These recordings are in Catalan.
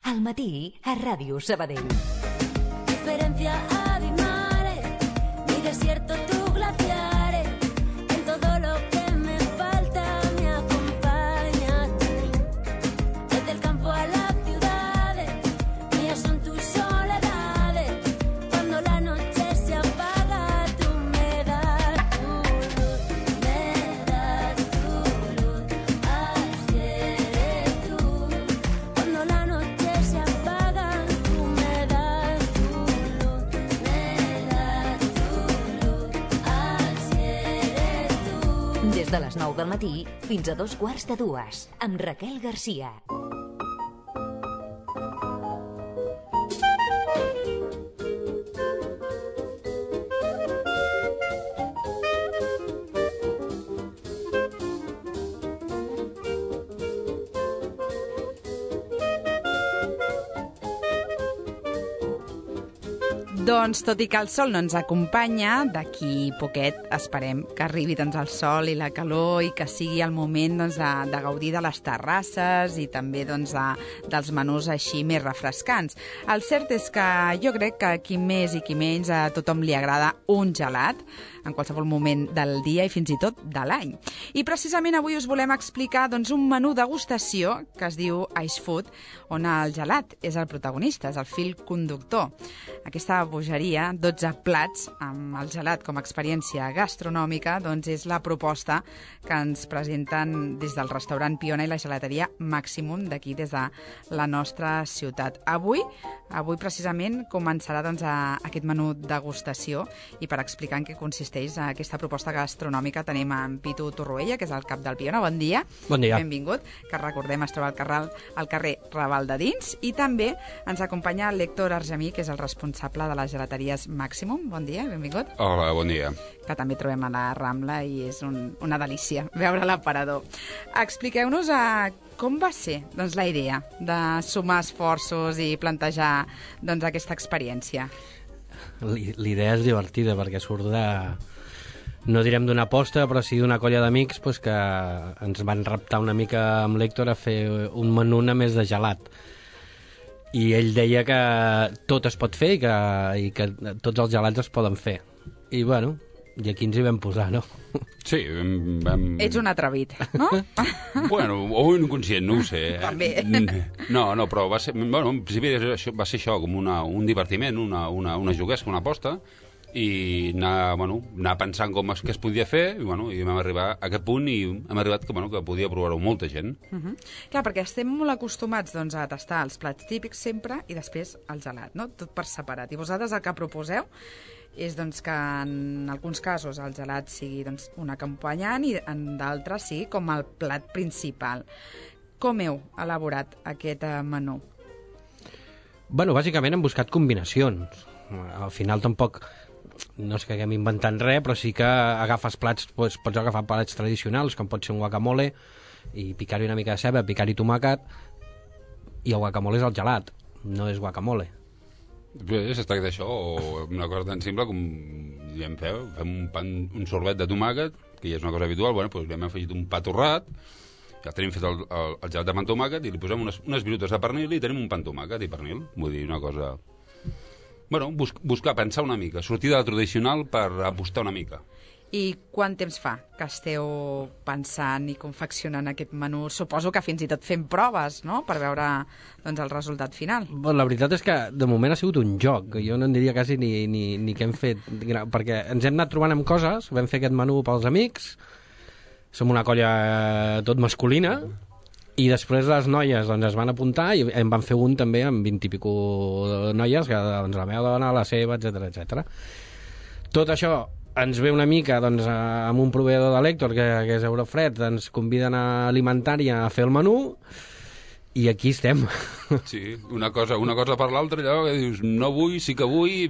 Al matí, a Ràdio Sabadell. Diferencia abismales, mi desierto, tus glaciares, en todo lo que me falta me acompañas tú. Desde el campo a las ciudades, mías son tus soledades. Cuando la noche se apaga, tú me das tu luz, me das tu luz, así eres tú. Cuando la noche se apaga, tú me das tu luz, me das tu luz, así eres tú. Des de les 9 del matí fins a 2:15, amb Raquel Garcia. Doncs, tot i que el sol no ens acompanya, d'aquí poquet esperem que arribi el sol i la calor i que sigui el moment de gaudir de les terrasses i també dels menús així més refrescants. El cert és que jo crec que qui més i qui menys a tothom li agrada un gelat en qualsevol moment del dia i fins i tot de l'any. I precisament avui us volem explicar un menú degustació que es diu Ice Food, on el gelat és el protagonista, és el fil conductor. Aquesta bogeria, 12 plats amb el gelat com a experiència gastronòmica, és la proposta que ens presenten des del restaurant Piona i la gelateria Maximum d'aquí, des de la nostra ciutat. Avui precisament començarà aquest menú degustació i per explicar en què consisteix aquesta proposta gastronòmica tenim en Pitu Torroella, que és el cap del Piona. Bon dia. Bon dia. Benvingut, que recordem es troba al carrer Raval de Dins, i també ens acompanya l'Héctor Argemí, que és el responsable de les gelateries Maximum. Bon dia, benvingut. Hola, bon dia. Que també trobem a la Rambla i és una delícia veure l'aparador. Expliqueu-nos com va ser la idea de sumar esforços i plantejar aquesta experiència. L'idea és divertida perquè surt no direm d'una aposta, però sí d'una colla d'amics que ens van reptar una mica amb l'Héctor a fer un menú només de gelat. I ell deia que tot es pot fer i que tots els gelats es poden fer. I bueno, i aquí ens hi vam posar, no? Sí, vam... Ets un atrevit, no? Bueno, o un inconscient, no ho sé. També. No, però va ser... Bueno, en principi va ser això, com un divertiment, una juguesca, una aposta, i anar pensant què es podia fer, i vam arribar a aquest punt i hem arribat que podia provar-ho molta gent. Clar, perquè estem molt acostumats a tastar els plats típics sempre i després el gelat, no? Tot per separat. I vosaltres el que proposeu és que en alguns casos el gelat sigui un acompanyant i en d'altres sigui com el plat principal. Com heu elaborat aquest menú? Bueno, bàsicament hem buscat combinacions. Al final tampoc no és que haguem inventat res, però sí que agafes plats, pots agafar plats tradicionals, com pot ser un guacamole, i picar-hi una mica de ceba, picar-hi tomàquet, i el guacamole és el gelat, no és guacamole. Bé, es tracta d'això, o una cosa tan simple com fem un sorbet de tomàquet, que ja és una cosa habitual, li hem afegit un pa torrat, ja tenim fet el gelat de pa amb tomàquet, i li posem unes virutes de pernil i tenim un pa amb tomàquet i pernil. Vull dir, una cosa... buscar, pensar una mica, sortir de la tradicional per apostar una mica. I quant temps fa que esteu pensant i confeccionant aquest menú? Suposo que fins i tot fent proves, no?, per veure el resultat final. La veritat és que de moment ha sigut un joc. Jo no en diria quasi ni què hem fet, perquè ens hem anat trobant amb coses. Vam fer aquest menú pels amics, som una colla tot masculina, i després les noies es van apuntar i en van fer un també amb 20 i pico noies, que la meva dona, la seva, etc. Tot això ens ve una mica amb un proveïdor de l'Héctor, que és Eurofred, ens conviden a Alimentària a fer el menú, i aquí estem. Sí, una cosa per l'altra, allò que dius, no vull, sí que vull,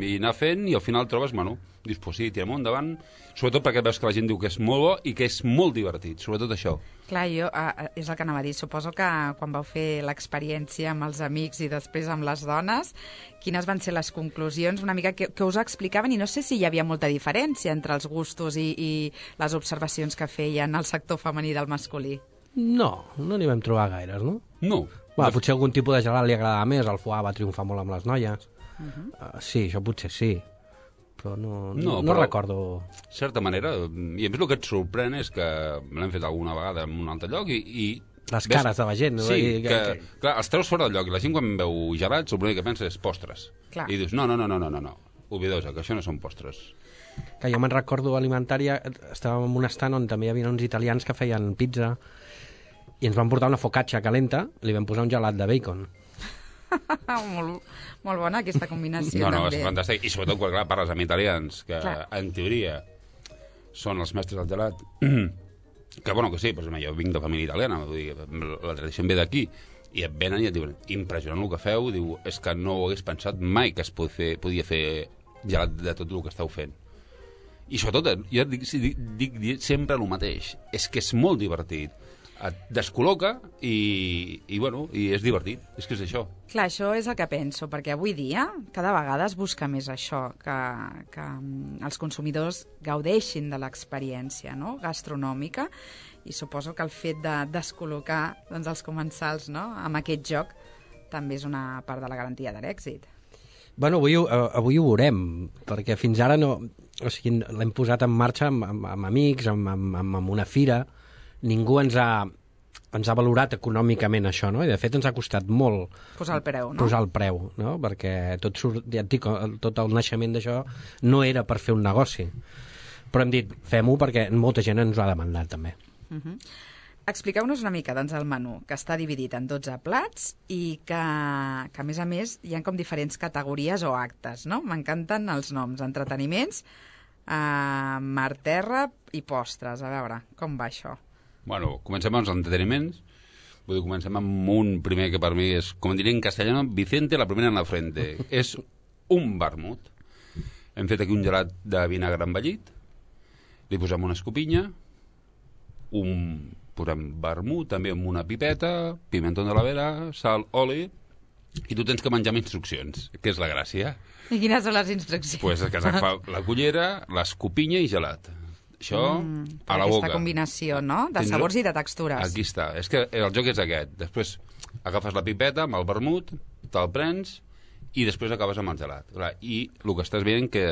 i anar fent, i al final trobes menú. Dius, pues sí, tirem endavant, sobretot perquè veus que la gent diu que és molt bo i que és molt divertit, sobretot això. Clar, jo, és el que anava a dir, suposo que quan vau fer l'experiència amb els amics i després amb les dones, quines van ser les conclusions, una mica que us explicaven, i no sé si hi havia molta diferència entre els gustos i les observacions que feien el sector femení del masculí. No n'hi vam trobar gaires, no? No. Potser algun tipus de gelat li agradava més, el foie va triomfar molt amb les noies. Sí, això potser sí, però no recordo. De certa manera, i a més el que et sorprèn és que l'hem fet alguna vegada en un altre lloc i les cares de la gent. Sí, clar, els treus fora del lloc i la gent quan veu gelats l'únic que pensa és postres. Clar. I dius, no, oblidosa, que això no són postres. Que jo me'n recordo alimentària, estàvem en un estant on també hi havia uns italians que feien pizza i ens van portar una focaccia calenta, li vam posar un gelat de bacon. Molt bona aquesta combinació. No, també. és fantàstic. I sobretot quan parles amb italians, que en teoria són els mestres del gelat, que bueno, que sí, però jo vinc de família italiana, vull dir, la tradició em ve d'aquí, i et venen i et diuen, impressionant el que feu, diu, és que no ho hagués pensat mai que es podia fer gelat de tot el que esteu fent. I sobretot, jo dic sempre el mateix, és que és molt divertit. Et descol·loca i és divertit, és que és això. Clar, això és el que penso, perquè avui dia cada vegada es busca més això, que els consumidors gaudeixin de l'experiència, no?, gastronòmica, i suposo que el fet de descol·locar els comensals, no?, amb aquest joc també és una part de la garantia de l'èxit. Bueno, avui ho veurem, perquè fins ara no... O sigui, l'hem posat en marxa amb amics, amb una fira. Ningú ens ha valorat econòmicament això, no? I de fet ens ha costat molt posar el preu, no? Posar el preu, no? Perquè ja et dic, tot el naixement d'això no era per fer un negoci. Però hem dit, fem-ho perquè molta gent ens ho ha demandat, també. Expliqueu-nos una mica, doncs, el menú, que està dividit en 12 plats i que a més, hi ha com diferents categories o actes, no? M'encanten els noms, entreteniments, mar, terra i postres. A veure, com va això? Bueno, comencem amb els entreteniments. Vull dir, comencem amb un primer que per mi és, com diria en castellano, Vicente la primera en la frente. És un vermut. Hem fet aquí un gelat de vinagre envellit, li posem una escopinya, posem vermut, també amb una pipeta, pimentó de la vera, sal, oli, i tu tens que menjar amb instruccions, que és la gràcia. I quines són les instruccions? Pues que has d'agafar la cullera, l'escopinya i gelat. Això a la boca. Aquesta combinació, no?, de sabors i de textures. Aquí està. És que el joc és aquest. Després agafes la pipeta amb el vermut, te'l prens i després acabes amb el gelat. I el que estàs veient que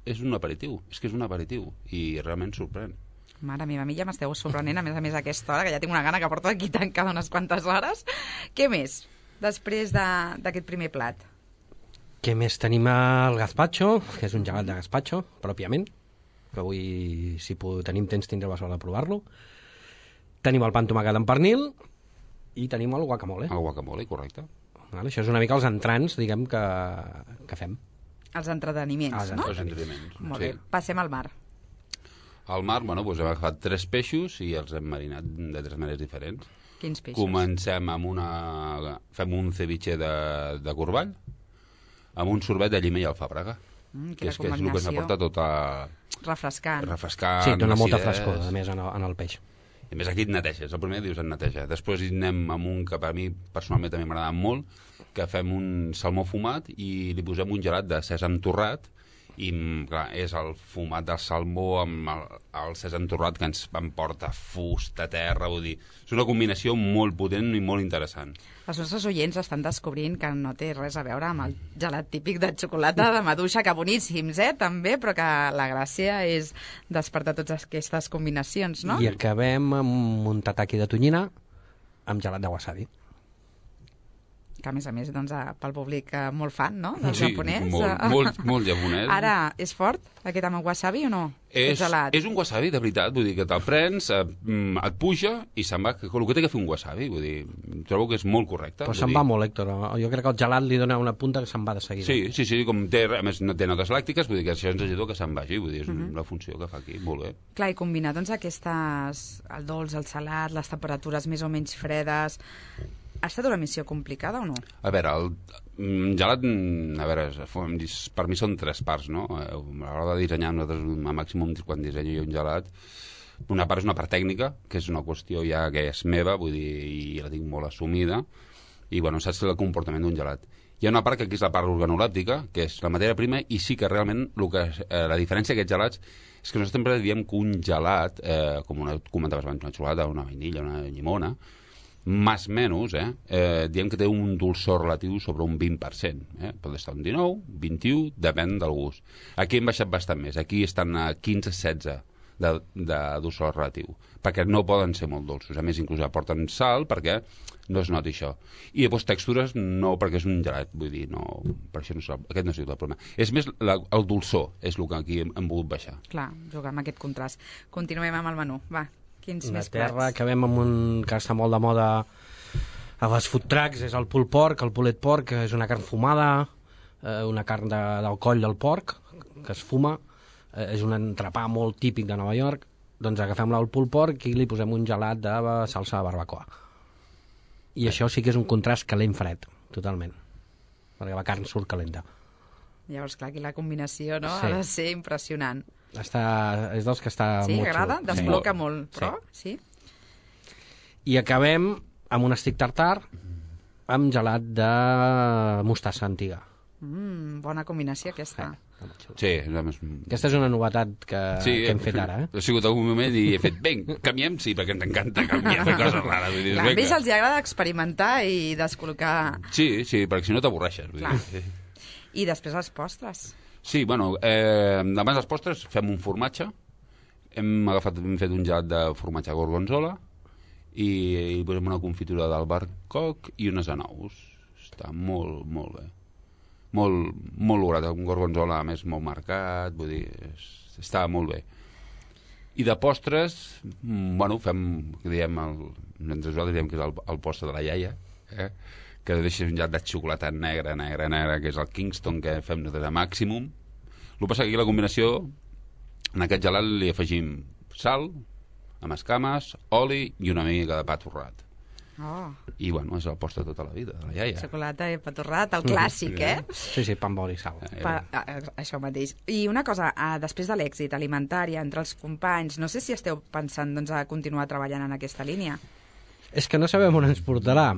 és un aperitiu. És que és un aperitiu. I realment sorprèn. Mare meva, a mi ja m'esteu sorprenent, a més a aquesta hora, que ja tinc una gana que porto aquí tancada unes quantes hores. Què més, després d'aquest primer plat? Què més? Tenim el gazpacho, que és un gelat de gazpacho, pròpiament, que avui, si tenim temps, tindreu la sort de provar-lo. Tenim el pa amb tomàquet amb pernil i tenim el guacamole. El guacamole, correcte. Això és una mica els entrants, diguem, que fem. Els entreteniments, no? Els entreteniments, molt bé. Passem al mar. Al mar, bueno, doncs hem agafat 3 peixos i els hem marinat de 3 maneres diferents. Quins peixos? Comencem amb fem un ceviche de corball amb un sorbet de llima i alfàbrega. Que és el que ens aporta tota... Refrescant. Sí, dona molta frescor, a més, en el peix. I a més aquí et neteges, el primer dius et neteja. Després hi anem amb un que per mi personalment també m'agrada molt, que fem un salmó fumat i li posem un gelat de sèsam torrat i clar, és el fumat del salmó amb el sèsam torrat que ens emporta fusta, terra, vull dir, és una combinació molt potent i molt interessant. Els nostres oients estan descobrint que no té res a veure amb el gelat típic de xocolata de maduixa, que boníssims, també, però que la gràcia és despertar totes aquestes combinacions, no? I acabem amb un tataki de tonyina amb gelat de wasabi. Que a més, doncs, pel públic molt fan, no?, del japonès. Sí, molt japonès. Ara, és fort, aquest amb el wasabi o no? És un wasabi, de veritat, vull dir que te'l prens, et puja i se'n va, el que té que fer un wasabi, vull dir, trobo que és molt correcte. Però se'n va molt, Héctor, jo crec que el gelat li dona una punta que se'n va de seguida. Sí, com té, a més no té notes làctiques, vull dir que això ens ajuda que se'n vagi, vull dir, és la funció que fa aquí, molt bé. Clar, i combinar, doncs, el dolç, el salat, les temperatures més o menys fredes... Ha estat una missió complicada o no? A veure, el gelat, per mi són 3 parts, no? A l'hora de dissenyar, nosaltres, a màxim, quan dissenyo jo un gelat, una part és una part tècnica, que és una qüestió ja que és meva, vull dir, i la tinc molt assumida, i bueno, saps el comportament d'un gelat. Hi ha una part que aquí és la part organolèptica, que és la matèria prima, i sí que realment la diferència d'aquests gelats és que nosaltres sempre diem que un gelat, com comentaves abans, una xocolata, una vainilla, una llimona, més o menys, diem que té un dolçor relatiu sobre un 20%. Pot estar un 19, 21, depèn del gust. Aquí hem baixat bastant més. Aquí estan a 15-16 de dolçor relatiu, perquè no poden ser molt dolços. A més, inclús aporten sal perquè no es noti això. I llavors textures no, perquè és un gelat, vull dir, no, per això aquest no ha sigut el problema. És més el dolçor, és el que aquí hem volgut baixar. Clar, jugar amb aquest contrast. Continuem amb el menú, va. Quins més Terra, plats? acabem amb un que està molt de moda a les food trucks, és el pulled pork, el pulled pork, que és una carn fumada, una carn del coll del porc, que es fuma, és un entrepà molt típic de Nova York, doncs agafem el pulled pork i li posem un gelat de salsa de barbacoa. I això sí que és un contrast calent-fred, totalment, perquè la carn surt calenta. Llavors, clar, aquí la combinació, no?, Sí. ha de ser impressionant. És dels que està Sí, molt agrada? xulo. Desbloca molt, però sí. I acabem amb un stick tartar amb gelat de mostassa antiga. Bona combinació aquesta. Sí, Aquesta és una novetat que hem fet ara, Ha sigut algun moment i he fet, canviem, sí, perquè ens encanta canviar, fer coses rares. Vull dir, Clar, a ells els agrada experimentar i descol·locar... Sí, perquè si no t'avorreixes. Clar. I després els postres. Sí, bueno, abans dels postres fem un formatge. Hem fet un gelat de formatge gorgonzola i posem una confitura d'albercoc i unes anous. Està molt, molt bé. Molt, molt lograt, un gorgonzola a més molt marcat, vull dir, està molt bé. I de postres, bueno, fem, diem, entre nosaltres diem que és el postre de la iaia, que deixa un gelat de xocolata negra, que és el Kingston, que fem nosaltres a màximum. El que passa que aquí la combinació, en aquest gelat li afegim sal, amb escames, oli i una mica de pa torrat. Oh, I, bueno, és el postre de tota la vida, de la iaia. xocolata i pa torrat, el clàssic, Sí, pa amb oli i sal. Això mateix. I una cosa, després de l'èxit alimentari entre els companys, no sé si esteu pensant doncs, a continuar treballant en aquesta línia. És que no sabem on ens portarà.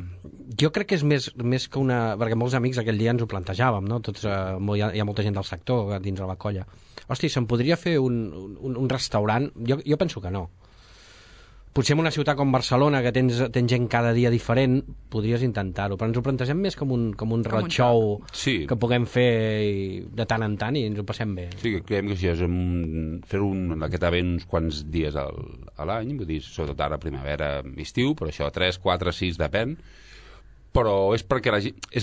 Jo crec que és més que una... Perquè molts amics aquell dia ens ho plantejàvem, no? Tots, hi ha molta gent del sector dins de la colla. Hosti, se'n podria fer un restaurant? Jo penso que no. Potser en una ciutat com Barcelona, que tens gent cada dia diferent, podries intentar-ho, però ens ho plantegem més com un roadshow que puguem fer de tant en tant i ens ho passem bé. Sí, que creiem que això és fer aquest event uns quants dies a l'any, vull dir, sobretot ara primavera, estiu, però això 3, 4, 6, depèn, però és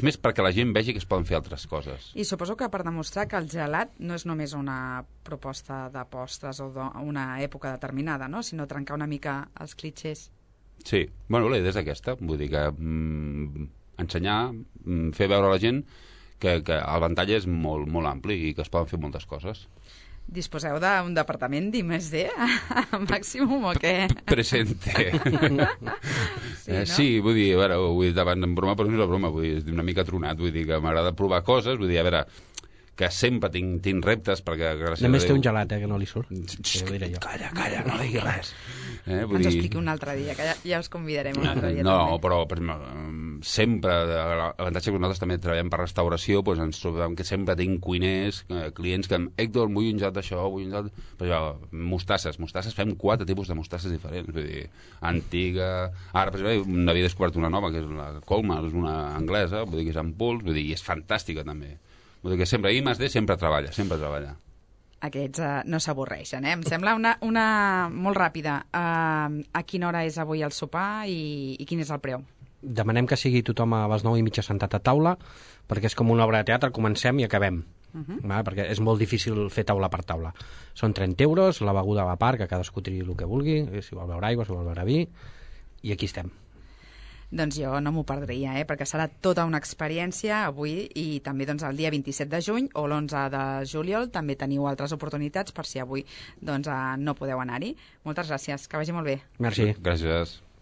més perquè la gent vegi que es poden fer altres coses. I suposo que per demostrar que el gelat no és només una proposta de postres o una època determinada, no? Sinó trencar una mica els clitxers. Sí, bueno, la idea és aquesta, vull dir que ensenyar, fer veure a la gent que el ventall és molt, molt ampli i que es poden fer moltes coses. Disposeu d'un departament d'I+D a màximum o què? Presente. Sí, no? Sí, vull dir, a veure, ho he dit abans en broma, però no és una broma, vull dir, és una mica tronat, vull dir que m'agrada provar coses, vull dir, a veure, que sempre tinc reptes, perquè gràcies a Déu... Només té un gelat, que no li surt. Calla, no diguis res. Ens ho expliqui un altre dia, que ja us convidarem un altre dia. No, també. però per exemple, sempre, l'avantatge que nosaltres també treballem per restauració, doncs ens trobem que sempre tinc cuiners, clients que, Héctor, vull un gelat d'això, vull un gelat... Però mostasses, fem 4 tipus de mostasses diferents, vull dir, antiga... Ara, per exemple, n'havia descobert una nova, que és la Colmar, és una anglesa, vull dir que és en pols, vull dir, i és fantàstica també. Vull dir que sempre, I+D sempre treballa. Aquests no s'avorreixen, Em sembla una molt ràpida. A quina hora és avui el sopar i quin és el preu? Demanem que sigui tothom a les 9:30 sentat a taula, perquè és com una obra de teatre, comencem i acabem. Perquè és molt difícil fer taula per taula. Són 30 euros, la beguda a la part, que cadascú triï el que vulgui, si vol beure aigua, si vol beure vi, i aquí estem. Doncs jo no m'ho perdria, perquè serà tota una experiència avui i també doncs, el dia 27 de juny o l'11 de juliol també teniu altres oportunitats per si avui doncs, no podeu anar-hi. Moltes gràcies, que vagi molt bé. Merci. Gràcies.